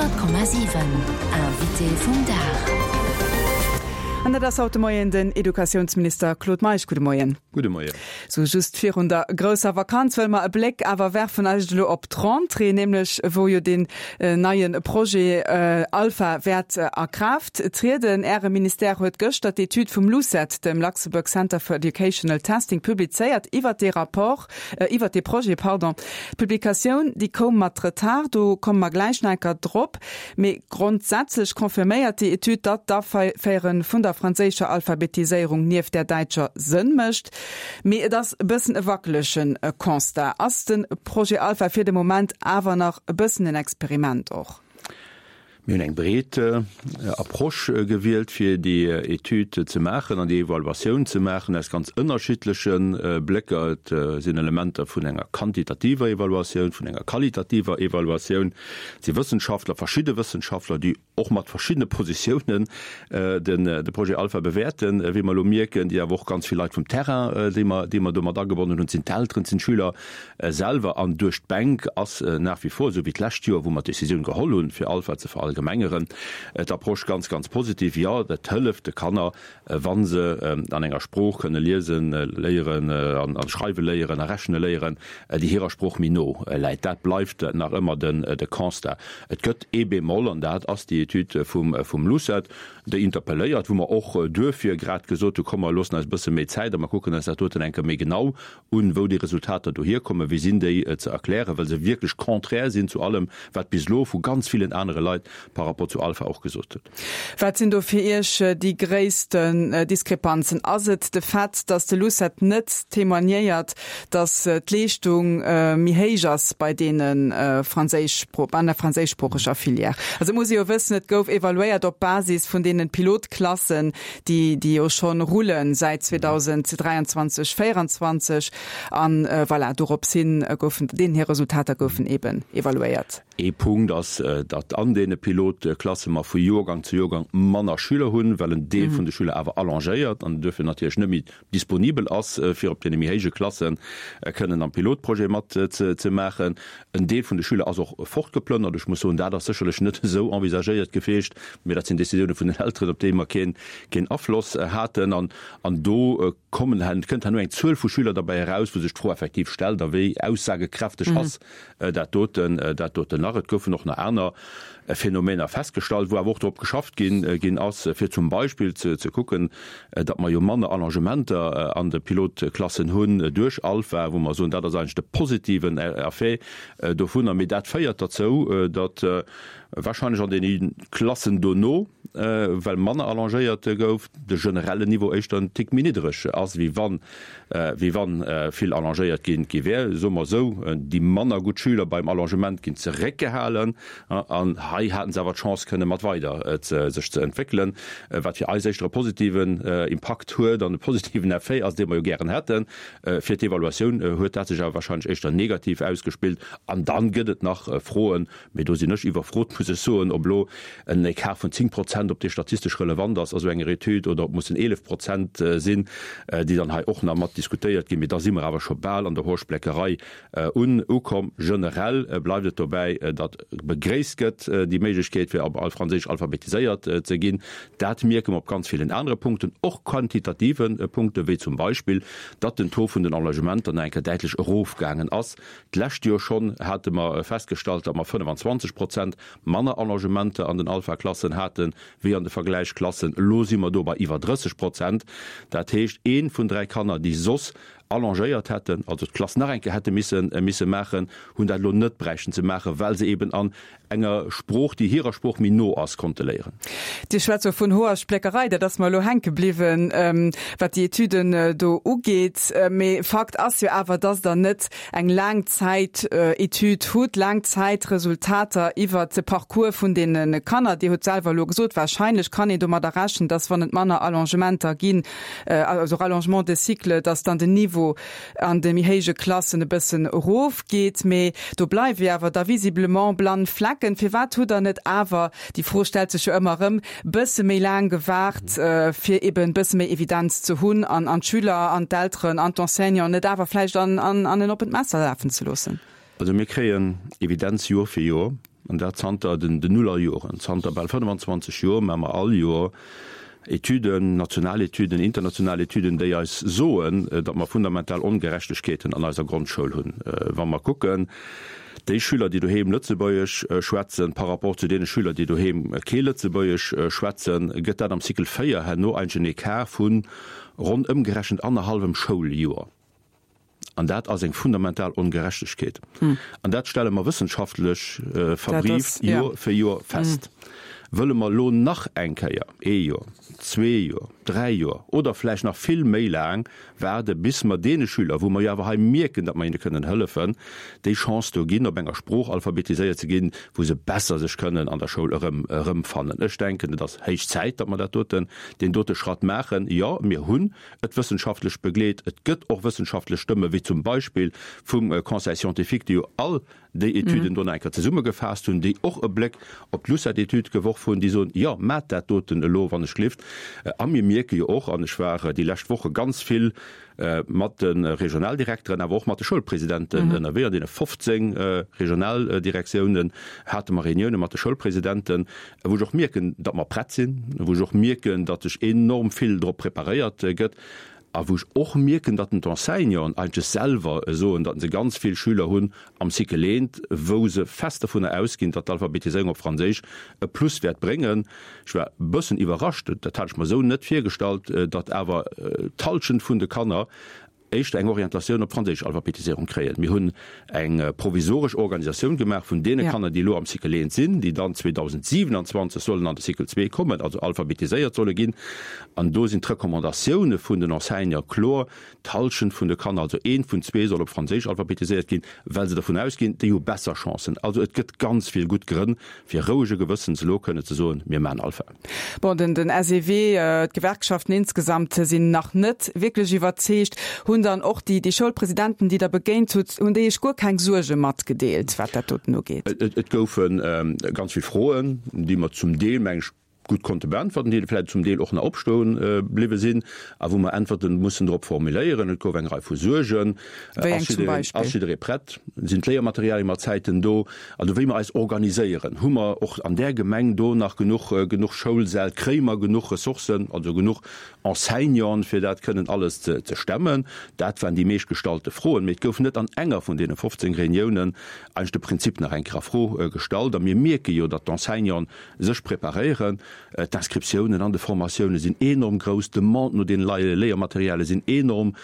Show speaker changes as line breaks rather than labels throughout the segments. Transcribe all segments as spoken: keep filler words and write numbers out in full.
Honnert Komma siwen, Invité vum Dag.
An dat ass haut de Moien den Educatiounsminister Claude Meisch. Gudde Moien.
Gudde Moien.
Sou just virun der grousser Vakanz wëlle mer e Bléck awer werfen eigentlech elo op d'Rentrée, nämlech wou jo deen neie Projet Alpha wäert a Kraaft trieden. Äre Ministère huet gëschter d'Etüd vum LUCET, dem Luxembourg Center for Educational Testing, publizéiert iwwert dee Rapport, iwwert dee Projet, pardon. D'Publikatioun, déi koum mat Retard, do komme mer gläich nach eng Kéier drop. Mee grondsätzlech confirméiert déi Etüd, datt d'Aféiere vun der franséischer Alphabetiséierung nieft där däitscher Sënn mécht. Mee et ass e bëssen e wackelege Constat. Ass de Projet Alpha fir de Moment awer nach e bëssen en Experiment och?
Mir hunn eng breet Approche gewielt, fir déi Etüd ze maachen an déi Evaluatioun ze maachen aus ganz ënnerschiddleche Blécker. Et sinn Elementer vun enger quantitativer Evaluatioun, vun enger qualitativer Evaluatioun. Et si Wëssenschaftler, verschidde Wëssenschaftler, déi och mat verschiddene Positiounen de Projet Alpha bewäerten, wéi mer elo mierken, déi awer och ganz vill Leit vum Terrain, déi mer, déi mer do mat agebonnen hunn. Et sinn d'Elteren, et sinn d'Schüler selwer. An duerch d'Bänk ass nach wie vor, esou wéi d'lescht Joer, wou mer d'Decisioun geholl hunn, fir Alpha ze verallgemengeren, d'Approche ganz, ganz positiv. Jo, dat hëlleft de Kanner, wa se an enger Sprooch kënne liesen léieren an schreiwe léieren a rechne léieren, déi hirer Sprooch méi no läit. Dat bleift nach ëmmer de Constat. Et gëtt ee Bémol, an dat ass déi Etüd vum LUCET, déi interpelléiert, wou mer och duerfir grad gesot hu, komm mer loossen eis e bësse méi Zäit a mer kucken eis dat doten eng Kéier méi genau un, wou déi Resultater dohierkommen, wéi sinn déi ze erklären, well se wierklech contraire sinn zu allem, wat bis elo vu ganz villen anere Leit par rapport zu Alpha och gesot huet.
Wat sinn do fir Iech déi gréissten Diskrepanzen? Ass et de Fait, datt de LUCET net témoignéiert, datt d'Leeschtung méi héich ass bei deene franséisch, an der franséischsproocheger Filière? Also et muss ee jo wëssen, et gouf evaluéiert op Basis vun deene Pilotklassen, déi, déi jo schonn rullen säit zweedausenddräianzwanzeg, véieranzwanzeg. An voilà, dorops hin goufen deenen hir Resultater goufen eeben evaluéiert.
Ee Punkt ass, datt an deene Pilotklasse mer vu Joergang zu Joergang manner Schüler hunn, well en Deel vun de Schüler awer allongéiert an duerfir natierlech net méi disponibel ass, fir op deene méi héije Klasse kënnen am Pilotprojet mat ze maachen. En Deel vun de Schüler ass och fortgeplënnert. Ech muss soen, dat ass sécherlech net esou envisagéiert gewiescht, mee dat sinn Decisioune vun den Elteren, op déi mer keen Afloss haten. An do kommen, kënnt herno eng Zuel vu Schüler derbäi eraus, wou sech d'Fro effektiv stellt, a wéi aussagekräfteg ass dat doten, dat doten nach. Et goufen och nach aner Phänomener festgestallt, wou awer och drop geschafft ginn, ginn ass, fir zum Beispill ze, ze kucken, datt mer jo manner Allongementer an de Pilotklassen hunn duerch Alpha, wou mer soen, dat ass eigentlech de positiven Effet dovunner. Mee dat féiert derzou, datt wahrscheinlech an deene Klassen dono, well manner allongéiert gouf, de generellen Niveau éischter en Tick méi niddereg ass, wéi wann, wéi wann vill allongéiert gi gi wär. Soe mer esou, déi manner gutt Schüler beim Allongement ginn zeréckgehalen an hei haten se awer d'Chance kënne mat weider sech ze entwéckelen, wat fir eis éischter e positiven Impakt huet an e positiven Effet ass, dee mer jo gären hätten. Fir d'Evaluatioun huet dat sech awer wahrscheinlech éischter negativ ausgespillt. An dann gëtt et nach Froen, mee do sinn ech iwwerfrot, muss ech soen, ob elo en Ecart vun zéng Prozent, ob dee statistesch relevant ass a sou enger Etüd oder ob mussen eelef Prozent sinn, déi dann hei och nach mat diskutéiert ginn. Mee da si mer awer scho bal an der Hoerspléckerei un ukomm. Generell bleift et dobäi, datt begréisst gëtt déi Méiglechkeet, fir op Franséisch alphabetiséiert ze ginn. Dat mierke mer op ganz villen anere Punkten, och quantitative Punkten, wéi zum Beispill, datt den Taux vun den Engagementer nach eng Kéier däitlech erofgaangen ass. D'lescht Joer schonn hate mer festgestallt, datt mer fënnefenzwanzeg Prozent manner Allongementer an den Alpha-Klassen hate wéi an de Vergläichsklassen. Elo si mer do bei iwwer drësseg Prozent. Dat heescht, ee vun dräi Kanner, déi soss allongéiert hätten, also d'Klass nach eng Kéier hätte misse misse maachen, hunn dat elo net bräichten ze maachen, well se eben an enger Sprooch, déi hirer Sprooch méi no ass, konnte léieren.
Dir schwätzt jo vun Hoerspléckerei, dat ass mer elo hänke bliwwen, wat déi Etüden do ugeet. Mee Fakt ass jo awer, dass Der net eng Laangzäit-Etüd hutt, Laangzäitresultater iwwert de Parcours vun deene Kanner. Dir hutt selwer elo gesot, wahrscheinlech kann een domadder rechnen, dass, wann et manner Allongementer ginn, also Rallongement de cycle, dass dann den Niveau an de méi héije Klassen e bëssen erofgeet. Mee do bleiwe jo awer da visiblement blann Flecken. Firwat hutt Der net awer, déi Fro stellt sech jo ëmmer erëm, bësse méi laang gewaart, fir eben e bësse méi Evidenz ze hunn an an d'Schüler an d'Elteren an d'Enseignanten net awer vläicht an an en oppent Messer lafen ze loossen?
Also mir kréien Evidenz Joer fir Joer. an dat zanter den Nullerjoren, zanter bal fënnfanzwanzeg Joer maache mer all Joer Etüden, national Etüden, international Etüden, déi eis soen, datt mer fundamental Ongerechtegkeeten an eiser Grondschoul hunn. Wa mer kucken, déi Schüler, déi doheem Lëtzebuergesch schwätzen, par rapport zu deene Schüler, déi doheem kee Lëtzebuergesch schwätzen, gëtt dat am Cycle véier herno eigentlech en Ecart vu ronn ëmgerechent annerhallwem Schouljoer. An dat ass eng fundamental Ongerechtegkeet. An dat stelle mer wëssenschaftlech verbrieft Joer fir Joer fest. Wëlle mer elo nach eng Kéier ee Joer, zwee Joer, dräi Joer oder vläicht nach vill méi laang waarde bis mer deene Schüler, wou mer jo awer hei mierken, datt mer hinne kënnen hëllefen, déi Chance do ginn, op enger Sprooch alphabetiséiert ze ginn, wou se besser sech kënnen an der Schoul erëm erëmfannen? Ech denken, et ass héich Zäit, datt mer dat doten, deen dote Schratt maachen. Jo, mir hunn et wëssenschaftlech begleet. Et gëtt och wëssenschaftlech Stëmme wéi zum Beispill vum Conseil scientifique, déi jo all déi Etüden do nach eng Kéier zesummegefaasst hunn, déi och e Bléck op d'LUCET-Etüd geworf hunn, déi soen, Jo, maacht dat doten elo, wann ech glift. A mir mierke jo och, an ech war déi lescht Woche ganz vill mat de Regionaldirekteren, awer och mat de Schoulpresidenten ënnerwee, an deene fofzéng Regionaldirektiounen hate mer Reunioune mat de Schoulpresidenten, wou ech och mierken, datt mer prett sinn, wou ech och mierken, datt sech enorm vill drop preparéiert gëtt a wou ech och mierken, datt d'Enseignanten eigentlech selwer soen, datt se ganz vill Schüler hunn am Cycle eent, wou se fest dovunner ausginn, datt d'Alphabetiséierung op Franséisch e Plus wäert bréngen. Ech war e bëssen iwwerrascht, dat hat ech mer esou net virgestallt, datt awer d'Hallschent vun de Kanner éischter eng Orientatioun op d'franséisch Alphabetiséierung kréien. Mir hunn eng provisoresch Organisatioun gemaach vun deene Kanner, déi elo am Cycle eent sinn, déi dann zweedausendsiwenanzwanzeg sollen an de Cycle zwee kommen, also alphabetiséiert solle ginn. An do sinn d'Recommandatioune vun den Enseignante kloer, D'Hallschent vun de Kanner, also eent vun zwee, soll op Franséisch alphabetiséiert ginn, well se dervun ausginn, déi hu besser Chancen. Also et gëtt ganz vill gutt Grënn, fir rouege Gewëssens elo kënne ze soen, mir maachen Alpha.
Bon, den den S E W, d'Gewerkschaften insgesamt sinn nach net wierklech iwwerzeegt. Hunn dann och déi déi Schoulpresidenten, déi Der begéint hutt, hunn déi Iech guer keng Suerge matgedeelt, wat dat doten ugeet?
Et goufe ganz vill Froen, déi mer zum Deel, meng ech, gutt konnte beäntwerten, déi vläicht zum Deel och nach opstoe bliwwe sinn a wou mer Äntwerte mussen drop formuléieren. Et gouf eng Rei vu Suergen.
Wéi eng zum Beispill?
Ass jidderee prett? Sinn d'Léiermaterialie mat Zäiten do? Also wéi mer eis organiséieren, hu mer och an där Gemeng do nach genuch, genuch Schoulsäll? Kréie mer genuch Ressourcen, also genuch Enseignanten, fir dat kënnen alles ze stemmen? Dat waren déi meescht gestallte Froen. Mee et gouf net an enger vun deene fofzéng Reuniounen eigentlech de Prinzip nach eng Kéier a Fro gestallt. A mir mierke jo, datt d'Enseignanten sech preparéieren. D'Inscriptiounen an de Formatioune sinn enorm grouss, d'Demande no deene Léiermaterialie sinn enorm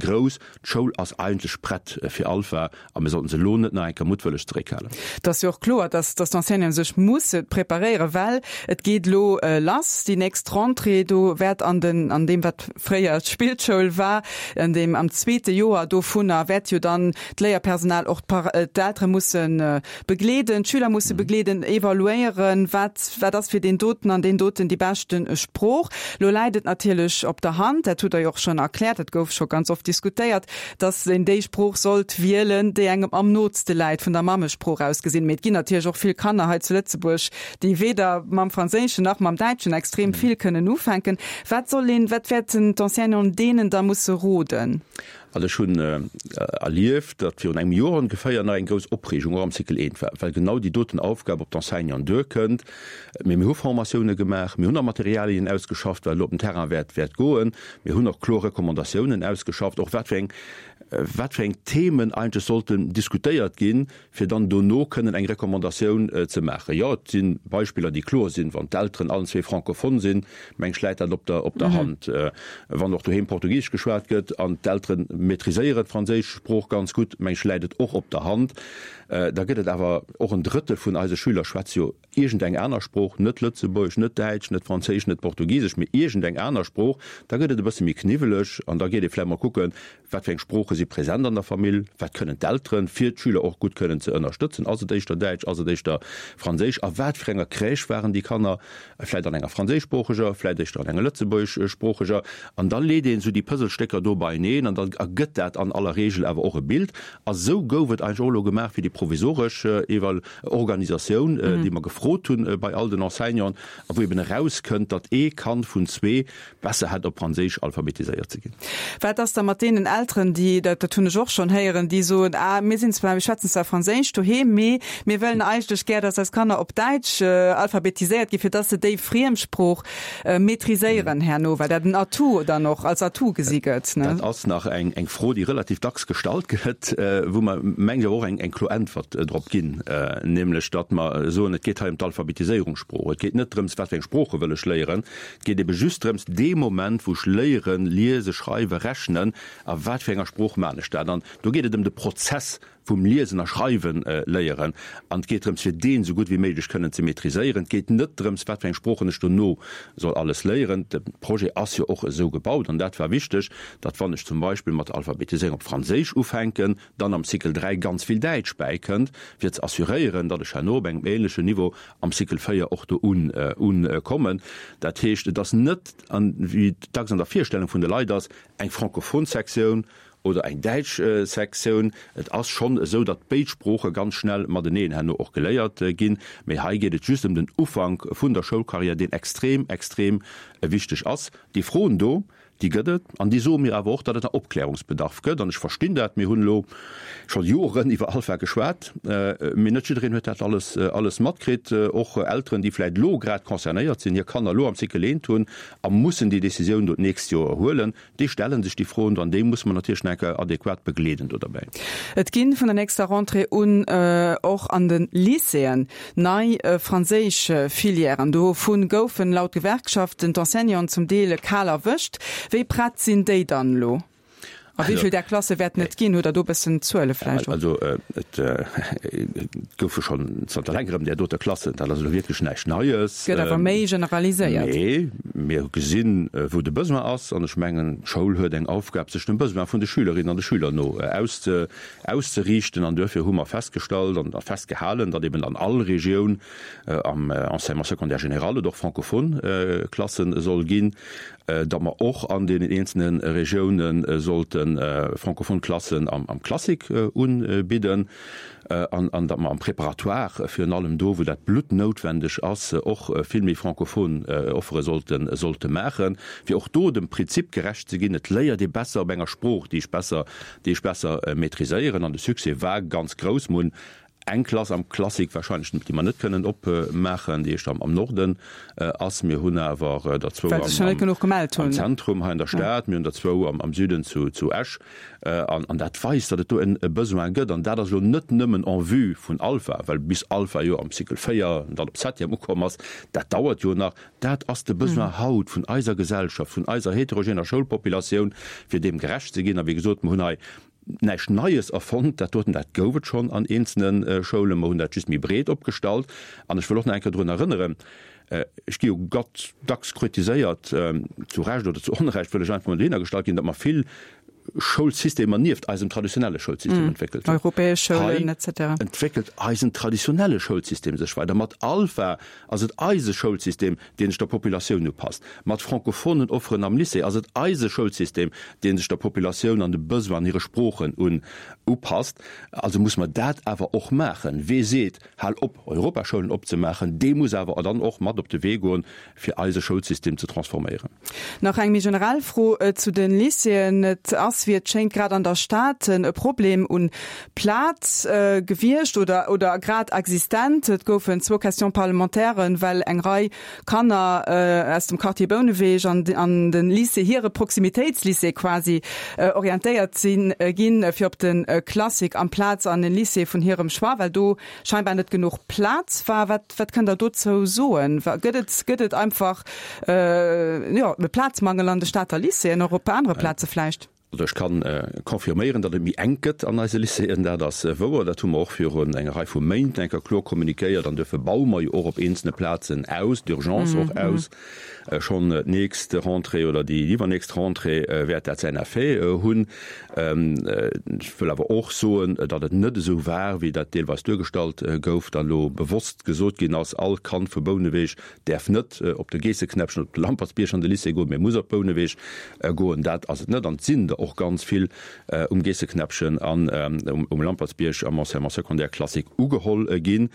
grouss. D'Schoul ass eigentlech prett fir Alpha a mir sollten se elo net nach eng Kéier muttwëlleg zeréckhalen.
Et ass jo och kloer, dass d'Enseignanten sech musse preparéieren, well et geet elo lass, déi nächst Rentrée. Do wäert an den, an deem wat fréier d'Spillschoul war, an deem am zweete Joer dovunner wäert jo dann d'Léierpersonal och d'Eltere musse begleeden, d'Schüler musse begleeden, evaluéieren, wat, wat ass fir deen doten an deen doten déi beschte Sprooch. Lo läit et natierlech op der Hand, dat hutt Der jo och schonn erkläert, dat gouf scho ganz oft diskutéiert, dass een déi Sprooch sollt wielen, déi engem am nootste läit, vun der Mammesprooch aus gesinn. Mee et ginn natierlech och vill Kanner hei zu Lëtzebuerg, déi weder mam Franséischen nach mam Däitschen extrem vill kënnen ufänken. Wat soll een, wat wäerten d'Enseignanten deenen da musse roden?
Also ech hunn erlieft, datt virun engem Joer ongeféier nach eng grouss Opreegung och am Cycle eent war, well genau déi doten Aufgab op d'Enseignanten duerkënnt. Mee mir hu Formatioune gemaach, mir hunn och Materialien ausgeschafft, wat elo op den Terrain wäert wäert goen. Mir hunn och kloer Recommandatiounen ausgeschafft, och wat fir eng wat fir eng Themen eigentlech sollten diskutéiert ginn, fir dann dono kënnen eng Recommandatioun ze maachen. Jo, et si Beispiller, déi kloer sinn, Wann d'Elteren allen zwee francophone sinn, meng ech, läit dat op der op der Hand. Wann och doheem Portugisesch geschwat gëtt an d'Eltere maîtriséieren d'franséisch Sprooch ganz gutt, meng ech, läit et och op der Hand. Da gëtt et awer och en Drëttel vun eise Schüler schwätze jo iergendeng aner Sprooch, net Lëtzebuergesch, net Däitsch, net Franséisch, net Portugisesch, mee iergendeng aner Sprooch. Da gëtt et e bësse méi kniwweleg an da geet ee vläicht mol kucken, Wat fir eng Sprooche si present an der Famill? Wat kënnen d'Elteren, fir d'Schüler och gutt kënnen ze ënnerstëtzen? Ass et éischter Däitsch? Ass et éischter Franséisch? A wat fir enger Crèche waren déi Kanner? Vläicht an enger franséischsproocheger, vläicht éischter an enger lëtzebuergeschsproocheger. An da leet een esou déi Puzzlestécker do beieneen an dann ergëtt dat an aller Regel awer och e Bild. A sou gouf et eigentlech och elo gemaach fir déi provisoresch Eval Organisatioun, déi mer gefrot gefrot hunn bei all den Enseignanten a wou eben erauskënnt, datt ee Kand vun zwee besser hätt op Franséisch alphabetiséiert ze ginn.
Wat ass da mat deenen Elteren, déi, dat, dat hunn ech och schonn héieren, déi soen, ah, mir sinn zwar, mir schwätzen zwar Franséisch doheem, mee mir wëllen eigentlech gär, datt eis Kanner op Däitsch alphabetiséiert ginn, fir datt se déi Friemsprooch maîtriséieren herno, well dat en Atout dann och als Atout gesi gëtt, ne?
Dat ass nach eng, eng Fro, déi relativ dacks gestallt gëtt, wou mer, mengen ech, awer och eng, eng kloer Äntwert drop ginn, nämlech datt mer soen, et geet hei ëm d'Alphabetiséierungssprooch. Et geet net drëms, wat fir eng Sprooche wëll ech léieren. Et geet ebe just drëms, dee Moment, wou ech léieren, liese, schreiwen, rechnen, a wat fir enger Sprooch maan ech dat? An do geet et ëm de Prozess vum Liesen a Schreiwen léieren. An et geet drëms, fir deen esou gutt wéi méiglech kënnen ze maîtriséieren. Et geet net drëms, wat fir eng Sproochen ech dono soll alles léieren. De Projet ass jo och esou gebaut, an dat war wichteg, datt wann ech zum Beispill mat der Alphabetiséierung op Franséisch ufänken, dann am Cycle dräi ganz vill Däitsch bäikënnt, fir ze assuréieren, datt ech herno op engem ähnlechen Niveau am Cycle véier och do unkommen. Dat heescht, et ass net, wéi et dacks an der Virstellung vun de Leit ass, eng francophon Sektioun oder eng däitsch Sektioun. Et ass schonn esou, datt béid Sprooche ganz schnell mateneen herno och geléiert ginn. Mee hei geet et just ëm den Ufank vun der Schoulcarrière, deen extrem, extrem wichteg ass. Déi Froen do, déi gëtt et an déi soe mir awer och, datt et nach Opklärungsbedarf gëtt. An ech verstinn dat. Mir hunn elo scho Joren iwwer Alpha geschwat, mee net jiddereen huet dat alles, alles matkritt. Och Elteren, déi vläicht elo grad concernéiert sinn, hir Kanner elo am Cycle eent hunn a mussen déi Decisioun do d'nächst Joer huelen, déi stelle sech déi Froen do an déi musse mer natierlech nach eng Kéier adequat begleeden do derbäi.
Et gi vun der nächster Rentrée un och an de Lycéeën nei franséisch Filièren. Dovu goufen laut Gewerkschaften d'Enseignanten zum Deel kal erwëscht. Wéi prett sinn déi dann elo? A wéi vill där Klasse wäerten et ginn? Hutt Der do e bëssen Zuele vläicht
och? Also et goufe schonn zanter längerem där dote Klassen. Dat ass elo wierklech näischt Neies.
Gëtt awer méi generaliséiert.
Mee mir gesinn, wou de Besoin ass. An ech mengen, d'Schoul huet eng Aufgab, sech dem Besoin vun de Schülerinnen an de Schüler no auszeriichten. An duerfir hu mer festgestallt an festgehalen, datt eben an all Regioun am Enseignement secondaire général et och francophone Klasse soll ginn, datt mer och an deenen eenzelne Regiounen sollte francophone Klassen am Classique unbidden an datt mer am Préparatoire, virun allem do, wou dat bluttnoutwendeg ass, och vill méi francophone Offere sollte maachen, fir och do dem Prinzip gerecht ze ginn, et léiert ee besser op enger Sprooch, déi ech besser, déi ech besser maîtriséieren. An de Succès war ganz grouss. Mer hunn eng Klass am Classique wahrscheinlech, déi mer net kënnen opmaachen, déi éischter am Norden ass. Mir hunn awer der zwou am Zentrum hei an der Stad, mir hunn der zwou am Süden zu Esch. An dat weist, datt et do e Besoin gëtt. An dat ass elo net nëmmen en vue vun Alpha, well bis Alpha jo am Cycle véier an dann op Septième ukomm ass, dat dauert jo nach. Dat ass de Besoin haut vun eiser Gesellschaft, vun eiser heterogener Schoulpopulatioun, fir deem gerecht ze ginn. A wéi gesot, mer hunn hei näischt Neies erfonnt, dat doten, dat gouf et schonn an eenzelne Schoulen, mer hunn dat just méi breet opgestallt. An ech wëll och nach eng Kéier drun erënneren, ech gi jo gat dacks kritiséiert, zu Recht oder zu Onrecht, wëll ech einfach mol dohinner gestallt ginn, datt mer vill Schoulsystemer nieft eisem traditionelle Schoulsystem entwéckelt
hunn. Europäesch Schoulen et cetera.
Hei entwéckelt eisen traditionelle Schoulsystem sech weider. Mat Alpha ass et eise Schoulsystem, dee sech der Populatioun upasst. Mat francophonen Offeren am Lycée ass et eise Schoulsystem, dee sech der Populatioun an de Besoin an hire Sproochen un upasst. Also muss mer dat awer och maachen. Wee seet, hal op, Europaschoulen opzemaachen, dee muss awer dann och mat op de Wee goen, fir eise Schoulsystem ze transforméieren.
Nach eng méi generell Fro zu de Lycéeën. Et ass, wéi et schéngt, grad an der Stad e Problem un Plaz gewiescht oder oder grad existent. Et goufen zwou Questions parlementairen, well eng Rei Kanner aus dem Quartier Bouneweg an an de Lycée, hire Proximitéitslycée quasi, orientéiert sinn ginn, fir op de Classique amplaz an e Lycée vun hirem Choix, well do scheinbar net genuch Plaz war. Wat wat kënnt Der dozou soen? Gëtt et gëtt et einfach, jo, e Plazmangel an de Stater Lycéeën, och op anere Plaze vläicht?
Also ech kann confirméieren, datt et méi enk gëtt an eise Lycéeën. Dat ass wouer. Dat hu mer och virun enger Rei vu Méint eng Kéier kloer kommunikéiert. An duerfir baue mer jo och op eenzelne Plazen aus, d'urgence och aus. Schonn d'nächst Rentrée oder déi iwwernächst Rentrée wäert dat säin Effet hunn. Ech wëll awer och soen, datt et net esou war, wéi dat deelweis duergestallt gouf, datt elo bewosst gesot ginn ass, all Kand vu Bouneweg däerf net op de Geesseknäppchen oder op de Lampertsbierg an de Lycée goen, mee muss op Bouneweg goen. Dat ass et net. An et sinn der och ganz vill um Geesseknäppchen an um Lampertsbierg am Enseignement secondaire classique ugeholl ginn.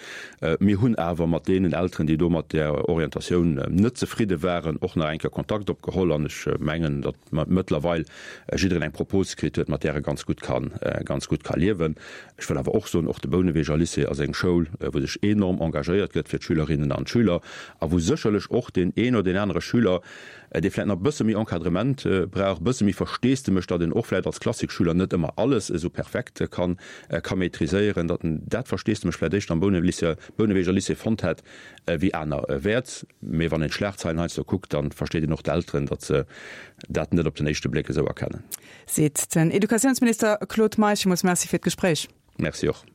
Mir hunn awer mat deenen Elteren, déi do mat där Orientatioun net zefridde waren, och nach eng Kéier Kontakt opgeholl an ech mengen, datt mëttlerweil jiddereen eng Propos kritt huet, mat där e ganz gutt kann, ganz gutt ka liewen. Ech wëll awer och soen, och de Bouneweger Lycée ass eng Schoul, wou sech enorm engagéiert gëtt fir d'Schülerinnen an d'Schüler a wou sécherlech och deen een oder deen anere Schüler, dee vläicht nach e bësse méi Encadrement brauch, e bësse méi Versteesdemech, datt en och vläicht als Klassikschüler net ëmmer alles esou perfekt kann, ka maîtriséieren, datt en dat Versteesdemech vläicht éischter am Bouneweger Lycée fonnt hätt wéi anerwäerts. Mee wann een d'Schlagzeilen heiansdo kuckt, da versteet een och d'Elteren, datt se dat net op den éischte Bléck esou erkennen.
Seet den Educatiounsminister Claude Meisch. Villmools Merci fir d'Gespréich.
Merci och.